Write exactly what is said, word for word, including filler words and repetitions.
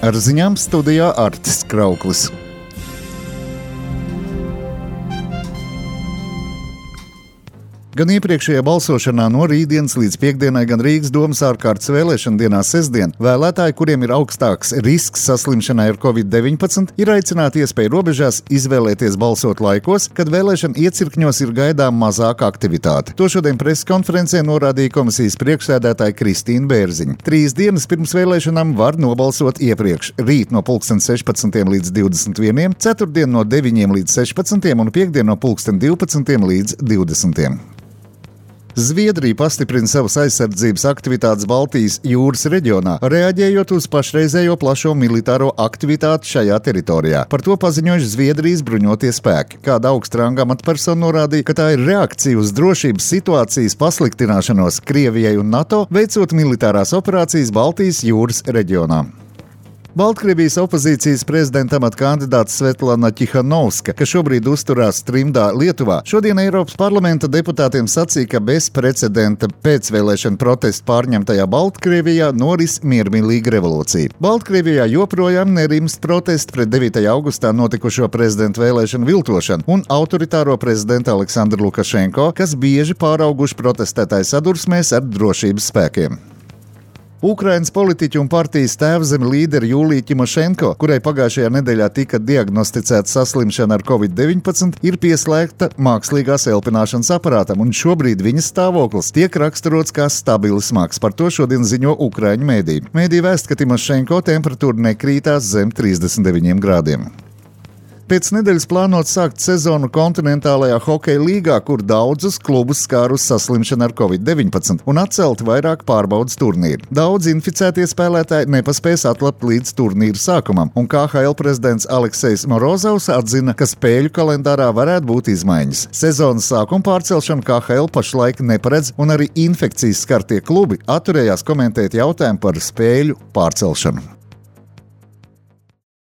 Ar ziņām studijā Artis Krauklis. Gan iepriekšējā balsošanā no rītdienas līdz piekdienai, gan Rīgas domas ārkārtas vēlēšana dienā sestdien vēlētāji, kuriem ir augstāks risks saslimšanai ar covid deviņpadsmit, ir aicināti iespēju robežās izvēlēties balsot laikos, kad vēlēšana iecirkņos ir gaidām mazāka aktivitāte. To šodien preses konferencē norādīja komisijas priekšsēdētāja Kristīna Bērziņa. Trīs dienas pirms vēlēšanām var nobalsot iepriekš. Rīt no pulksten sešpadsmitiem līdz divdesmit vieniem, ceturtdien no deviņiem līdz sešpadsmitiem un piekdien no pulksten divpadsmitiem līdz divdesmitiem. Zviedrija pastiprina savas aizsardzības aktivitātes Baltijas jūras reģionā, reaģējot uz pašreizējo plašo militāro aktivitāti šajā teritorijā. Par to paziņojuši Zviedrijas bruņotie spēki. Kāda augsta ranga amatpersona norādīja, ka tā ir reakcija uz drošības situācijas pasliktināšanos Krievijai un NATO, veicot militārās operācijas Baltijas jūras reģionā. Baltkrievijas opozīcijas prezidenta amata kandidāts Svetlana Ķihanovska, kas šobrīd uzturās trimdā Lietuvā, šodien Eiropas parlamenta deputātiem sacīja, ka bez precedenta pēcvēlēšana protestu pārņemtajā Baltkrievijā noris miermīlīga revolūcija. Baltkrievijā joprojām nerimst protesti pret devītajā augustā notikušo prezidenta vēlēšanu viltošanu un autoritāro prezidentu Aleksandru Lukašenko, kas bieži pārauguši protestētāju sadursmēs ar drošības spēkiem. Ukrainas politiķu un partijas tēvzeme līderi Jūlija Ķimošenko, kurai pagājušajā nedēļā tika diagnosticēta saslimšana ar covid deviņpadsmit, ir pieslēgta mākslīgās elpināšanas aparātam, un šobrīd viņas stāvoklis tiek raksturots kā stabili smags. Par to šodien ziņo ukraiņu mēdī. Mēdī vēst, ka Ķimošenko temperatūra nekrītās zem trīsdesmit deviņiem grādiem. Pēc nedēļas plānots sākt sezonu kontinentālajā hokeja līgā, kur daudzus klubus skārus saslimšana ar covid deviņpadsmit un atcelti vairāk pārbaudas turnīri. Daudz inficētie spēlētāji nepaspēs atlapt līdz turnīra sākumam, un K H L prezidents Aleksejs Morozovs atzina, ka spēļu kalendārā varētu būt izmaiņas. Sezonas sākuma pārcelšanu K H L pašlaik neparedz, un arī infekcijas skartie klubi atturējās komentēt jautājumu par spēļu pārcelšanu.